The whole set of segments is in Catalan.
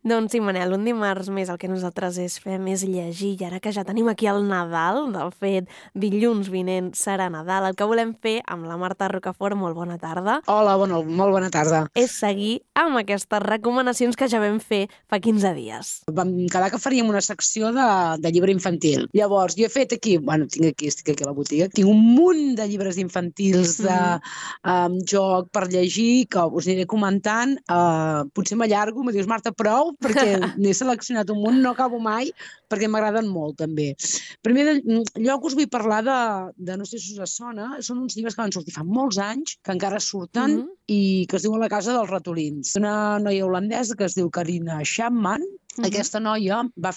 Doncs sí, Manel, un dimarts més el que nosaltres fem és llegir, i ara que ja tenim aquí el Nadal, del fet, dilluns vinent serà Nadal, el que volem fer amb la Marta Rocafort, molt bona tarda. Hola, molt bona tarda. És seguir amb aquestes recomanacions que ja vam fer fa 15 dies. Vam quedar que faríem una secció de llibre infantil. Llavors, jo he fet aquí, estic aquí a la botiga, tinc un munt de llibres infantils de joc per llegir, que us aniré comentant. Potser m'allargo, me dius, Marta, prou, perquè n'he seleccionat un munt, no acabo mai, perquè m'agraden molt, també. Primer lloc us vull parlar de no sé si us sona, són uns llibres que van sortir fa molts anys, que encara surten, i que es diuen La casa dels ratolins. Una noia holandesa que es diu Karina Chapman. Aquesta noia va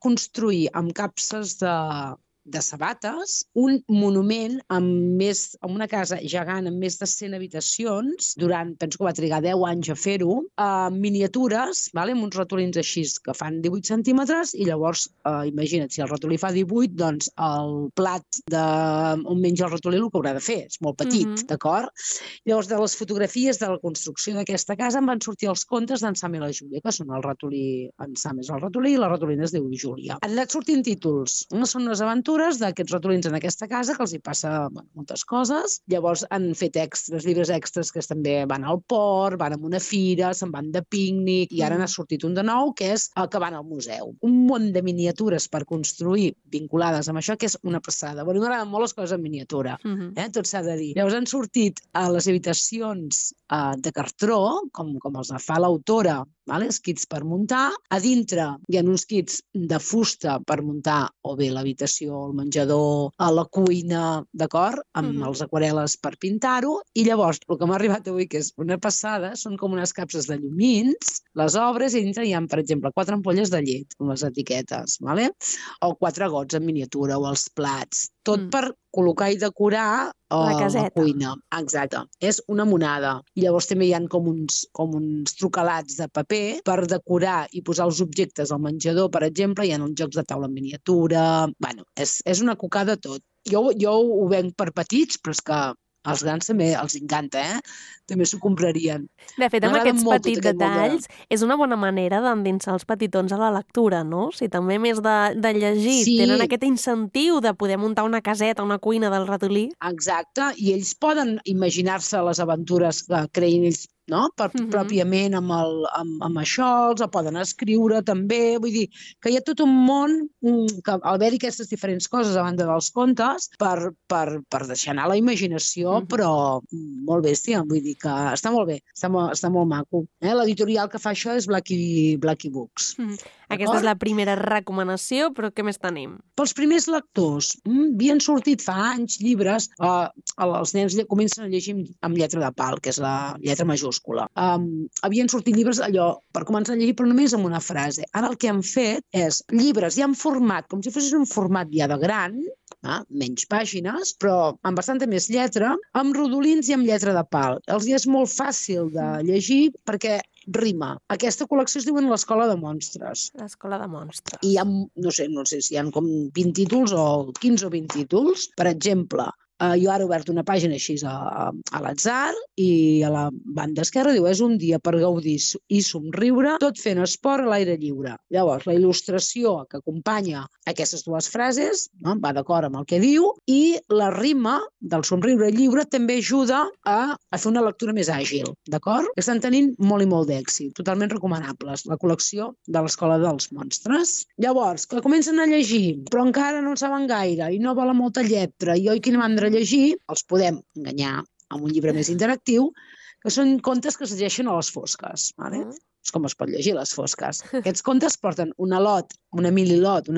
construir amb capses de sabates un monument amb una casa gegant amb més de 100 habitacions, penso que va trigar 10 anys a fer-ho, miniatures, amb uns ratolins així que fan 18 centímetres, i llavors, imagina't, si el ratolí fa 18, doncs el plat on menja el ratolí el que haurà de fer, és molt petit, d'acord? Llavors, de les fotografies de la construcció d'aquesta casa en van sortir els contes d'en Sam i la Júlia, que són el ratolí, en Sam és el ratolí i la ratolina es diu Júlia. Han anat sortint títols, són unes aventures d'aquests ratolins en aquesta casa, que els hi passa moltes coses. Llavors han fet llibres extras que també van al port, van a una fira, se'n van de pícnic, i ara n'ha sortit un de nou, que és que van al museu. Un munt de miniatures per construir vinculades amb això, que és una passada. M'agraden molt les coses en miniatura, tot s'ha de dir. Llavors han sortit a les habitacions de cartró, com els fa l'autora, els kits per muntar. A dintre hi ha uns kits de fusta per muntar o bé l'habitació, el menjador, a la cuina, d'acord? Amb els aquarel·les per pintar-ho. I llavors, el que m'ha arribat avui, que és una passada, són com unes capses de llumins, les obres, i dintre hi ha, per exemple, 4 ampolles de llet, amb les etiquetes, o 4 gots en miniatura, o els plats. Tot per col·locar i decorar la cuina. Exacte. És una monada. I llavors també hi ha com uns trucalats de paper per decorar i posar els objectes al menjador, per exemple. Hi ha uns jocs de taula en miniatura. Bueno, és una cocada tot. Jo ho venc per petits, però és que als grans també els encanta, també s'ho comprarien. De fet, amb aquests petits detalls és una bona manera d'endinsar els petitons a la lectura, no? Si també, a més de llegir, tenen aquest incentiu de poder muntar una caseta, una cuina del ratolí. Exacte, i ells poden imaginar-se les aventures que creïn ells, no? Pròpiament amb això, els poden escriure també, vull dir que hi ha tot un món que al haver-hi aquestes diferents coses a banda dels contes per deixar anar la imaginació, però molt bèstia, vull dir que està molt bé, està molt maco. L'editorial que fa això és Blackie Books. Aquesta és la primera recomanació, però què més tenim? Pels primers lectors, havien sortit fa anys llibres, els nens comencen a llegir amb lletra de pal, que és la lletra majúscula. Havien sortit llibres allò per començar a llegir, però només amb una frase. Ara el que han fet és llibres ja en format, com si fos un format ja de gran, menys pàgines, però amb bastanta més lletra, amb rodolins i amb lletra de pal. Els és molt fàcil de llegir perquè rima. Aquesta col·lecció es diuen l'Escola de Monstres. L'Escola de Monstres. I hi ha, no sé si hi ha com 20 títols o 15 o 20 títols. Per exemple, jo ara he obert una pàgina així a l'atzar i a la banda esquerra diu és un dia per gaudir i somriure, tot fent esport a l'aire lliure. Llavors, la il·lustració que acompanya aquestes dues frases va d'acord amb el que diu, i la rima del somriure lliure també ajuda a fer una lectura més àgil, d'acord? Estan tenint molt i molt d'èxit, totalment recomanables, la col·lecció de l'Escola dels Monstres. Llavors, que comencen a llegir, però encara no en saben gaire i no volen molta lletra i oi quina mandra llegir, els podem enganyar amb un llibre més interactiu, que són contes que es llegeixen a les fosques. És com es pot llegir a les fosques. Aquests contes porten una mini lot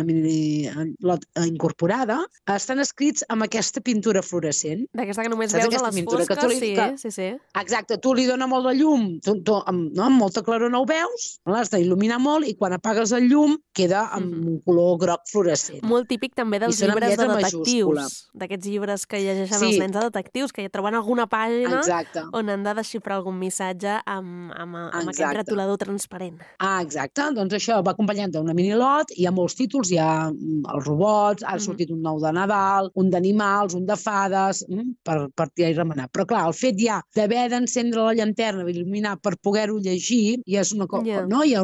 incorporada, estan escrits amb aquesta pintura fluorescent. D'aquesta que només veus a les fosques, sí. Exacte, tu li dona molt de llum, amb molta claror no ho veus, l'has d'il·luminar molt i quan apagues el llum queda amb un color groc fluorescent. Molt típic també dels llibres de detectius, d'aquests llibres que llegeixen els nens de detectius, que ja troben alguna pàgina on han de desxifrar algun missatge amb aquest retolador ordinador transparent. Exacte. Doncs això va acompanyant d'una minilot, hi ha molts títols, hi ha els robots, ha sortit un nou de Nadal, un d'animals, un de fades, per tirar i remenar. Però clar, el fet ja d'haver d'encendre la llanterna, il·luminar per poder-ho llegir, ja és una cosa, no? Hi ha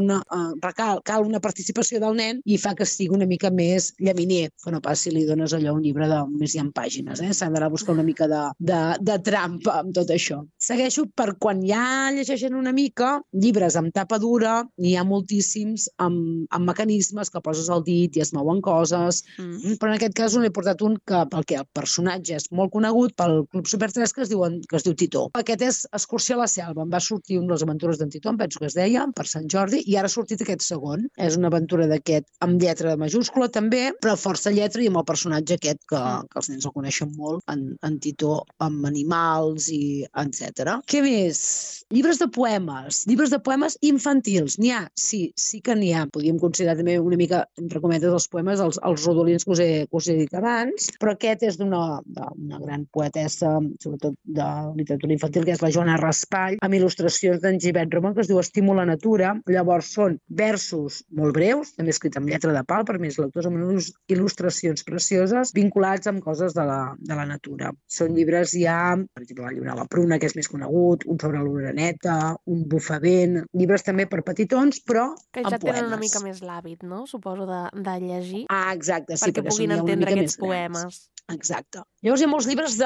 cal una participació del nen i fa que sigui una mica més llaminer, que no pas si li dones allò un llibre de més hi ha pàgines, s'ha d'anar a buscar una mica de trampa amb tot això. Segueixo per quan ja llegeixen una mica, llibres amb tapa dura, n'hi ha moltíssims amb mecanismes que poses el dit i es mouen coses, però en aquest cas n'he portat un perquè el personatge és molt conegut pel Club Super 3 que es diu Titó. Aquest és Excursió a la selva, em va sortir un de les aventures d'en Titó, em penso que es deia, per Sant Jordi, i ara ha sortit aquest segon. És una aventura d'aquest amb lletra majúscula també, però força lletra i amb el personatge aquest que els nens el coneixen molt, en Titó, amb animals i etc. Què més? Llibres de poemes infantils. N'hi ha, sí que n'hi ha. Podríem considerar també una mica, entre cometes, els poemes, els rodolins que us he dit abans, però aquest és d'una gran poetessa, sobretot de literatura infantil, que és la Joana Raspall, amb il·lustracions d'en Gibert Roman, que es diu Estímul a natura. Llavors són versos molt breus, també escrits amb lletra de pal, per més lectors, amb unes il·lustracions precioses, vinculats amb coses de la natura. Són llibres ja, per exemple, el llibre de la pruna, que és més conegut, un sobre l'oreneta, un bufavent, llibres també per petitons, però que ja tenen una mica més l'hàbit, no? Suposo de llegir. Exacte, sí, perquè puguin entendre aquests poemes. Exacte. Llavors hi ha molts llibres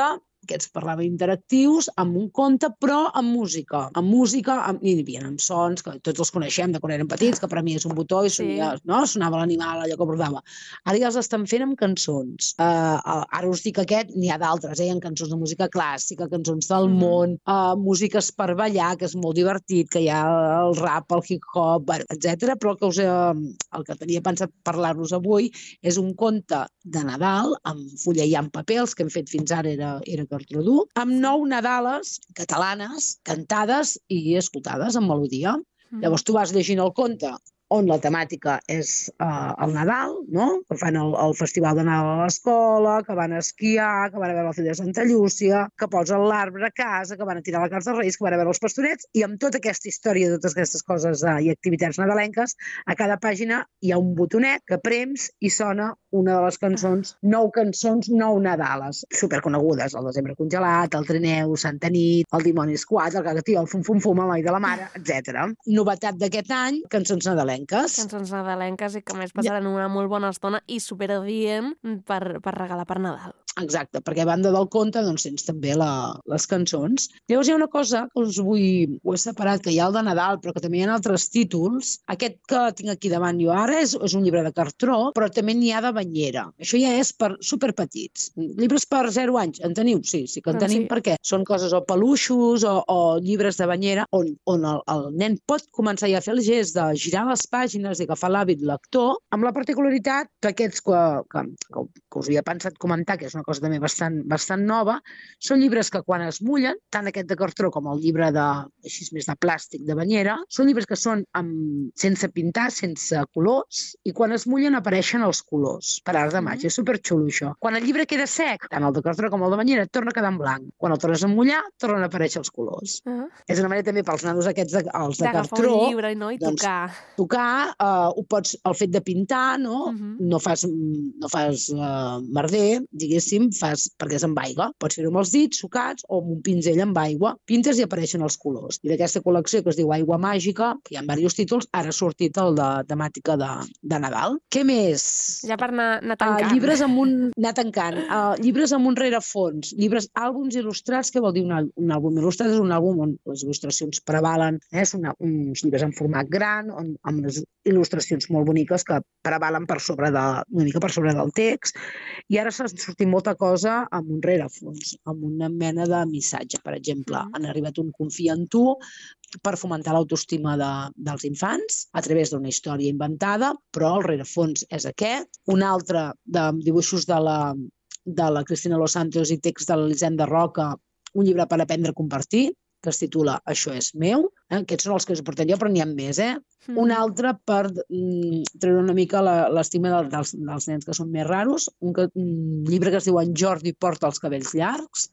aquests parlava interactius, amb un conte, però amb música. I hi havia amb sons, que tots els coneixem de quan érem petits, que per a mi és un botó i sonava l'animal, allò que bordava. Ara ja els estan fent amb cançons. Ara us dic aquest, n'hi ha d'altres, hi ha cançons de música clàssica, cançons del món, músiques per ballar, que és molt divertit, que hi ha el rap, el hip-hop, etc. Però el que tenia pensat parlar-vos avui és un conte de Nadal, amb fulla i amb paper, els que hem fet fins ara era Cartrodú, amb 9 Nadales catalanes, cantades i escoltades amb melodia. Llavors tu vas llegint el conte on la temàtica és el Nadal, no? Que fan el festival de Nadal a l'escola, que van a esquiar, que van a veure la filla de Santa Llúcia, que posen l'arbre a casa, que van a tirar la carta als Reis, que van a veure els pastorets, i amb tota aquesta història, totes aquestes coses i activitats nadalenques, a cada pàgina hi ha un botonet que prems i sona una de les cançons, 9 cançons, 9 Nadales, superconegudes, el Desembre congelat, el Trineu, Santa Nit, el Dimoni Esquat, el Cagatí, el Fum Fum Fum, el Noi de la Mare, etc. Novetat d'aquest any, cançons nadalenques. Cançons nadalenques i que més passaran una molt bona estona i superadient per regalar per Nadal. Exacte, perquè a banda del conte doncs tens també les cançons. Llavors hi ha una cosa que ho he separat, que hi ha el de Nadal, però que també hi ha altres títols. Aquest que tinc aquí davant jo ara és un llibre de cartró, però també n'hi ha de banyera. Això ja és per superpetits. Llibres per 0 anys, en teniu? Sí que en tenim, perquè són coses o peluixos o llibres de banyera on el nen pot començar ja a fer el gest de girar les pàgines i agafar l'hàbit lector, amb la particularitat que aquests que us havia pensat comentar, que és una cosa també bastant nova, són llibres que quan es mullen, tant aquest de cartró com el llibre així més de plàstic de banyera, són llibres que són sense pintar, sense colors, i quan es mullen apareixen els colors per art de màgia. És superxulo això. Quan el llibre queda sec, tant el de cartró com el de banyera, torna a quedar en blanc. Quan el tornes a mullar, tornen a aparèixer els colors. És una manera també pels nanos aquests els de cartró. D'agafar un llibre i tocar. Tocar, ho pots, el fet de pintar, no? No fas merder, diguéssim, perquè és amb aigua. Pots fer-ho amb els dits, sucats, o amb un pinzell amb aigua. Pintes i apareixen els colors. I d'aquesta col·lecció que es diu Aigua Màgica, que hi ha diversos títols, ara ha sortit el de temàtica de Nadal. Què més? Ja per anar tancant. Llibres amb llibres amb un rerefons. Àlbums il·lustrats, què vol dir un àlbum il·lustrat? És un àlbum on les il·lustracions prevalen, són uns llibres en format gran, amb unes il·lustracions molt boniques que prevalen una mica per sobre del text, i ara s'ha sortit molta cosa amb un rerefons, amb una mena de missatge. Per exemple, han arribat un Confia en tu per fomentar l'autoestima dels infants a través d'una història inventada, però el rerefons és aquest. Un altre de dibuixos de la Cristina Los Santos i text de l'Elisenda Roca, un llibre per aprendre a compartir, que es titula Això és meu. Aquests són els que us portem jo, però n'hi ha més. Un altre per treure una mica l'estima dels nens que són més raros. Un llibre que es diu En Jordi porta els cabells llargs,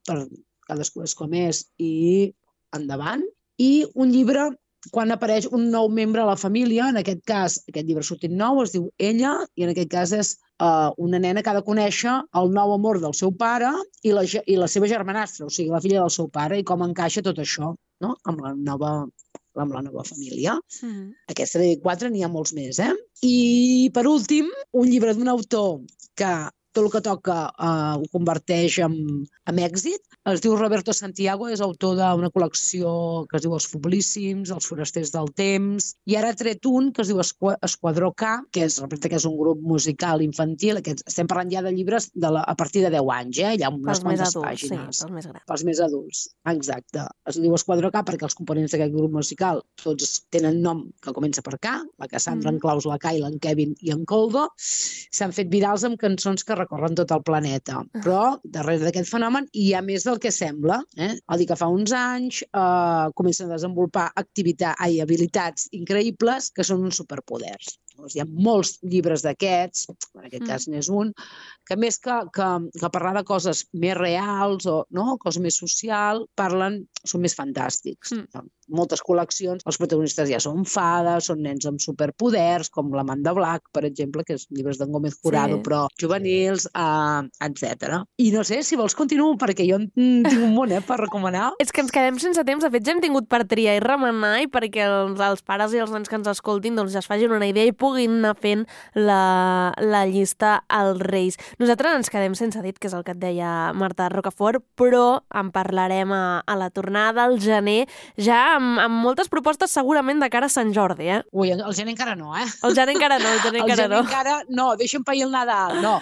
per cadascú és com és i endavant. I un llibre quan apareix un nou membre a la família, en aquest cas, aquest llibre sortint nou, es diu Ella, i en aquest cas és una nena que ha de conèixer el nou amor del seu pare i la seva germanastra, o sigui, la filla del seu pare, i com encaixa tot això, no?, amb la nova família. Aquesta de 4 n'hi ha molts més, I, per últim, un llibre d'un autor que tot el que toca ho converteix en èxit. Es diu Roberto Santiago, és autor d'una col·lecció que es diu Els Foblíssims, Els forasters del temps, i ara ha tret un que es diu Esquadró K, que és un grup musical infantil. Estem parlant ja de llibres a partir de 10 anys, hi ha unes quantes pàgines. Sí, pels més grans. Pels més adults, exacte. Es diu Esquadró K perquè els components d'aquest grup musical tots tenen nom que comença per K, la Cassandra, en Claus, la Kayla, en Kevin i en Coldo. S'han fet virals amb cançons que recorren tot el planeta. Però darrere d'aquest fenomen hi ha més del que sembla. Vol dir que fa uns anys comencen a desenvolupar habilitats increïbles que són uns superpoders. Hi ha molts llibres d'aquests, en aquest cas n'és un, que més que parlar de coses més reals o coses més socials, són més fantàstics. Moltes col·leccions, els protagonistes ja són fades, són nens amb superpoders, com l'Amanda Black, per exemple, que és llibres d'en Gómez Jurado, però juvenils, etc. I no sé, si vols continuo, perquè jo en tinc un munt per recomanar. És que ens quedem sense temps. De fet, ja hem tingut per triar i remenar, i perquè els pares i els nens que ens escoltin ja es facin una idea i puguin anar fent la llista als Reis. Nosaltres ens quedem sense dit, que és el que et deia Marta Rocafort, però en parlarem a la tornada al gener, ja amb moltes propostes segurament de cara a Sant Jordi, Ui, el gener encara no, El gener encara no, no, deixa'm pair el Nadal, no.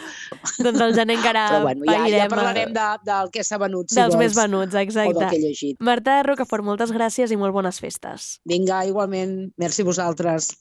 Doncs el gener encara pairem. Ja parlarem del que s'ha venut, si dels vols. Més venuts, exacte. O del que he llegit. Marta Rocafort, moltes gràcies i molt bones festes. Vinga, igualment. Merci a vosaltres.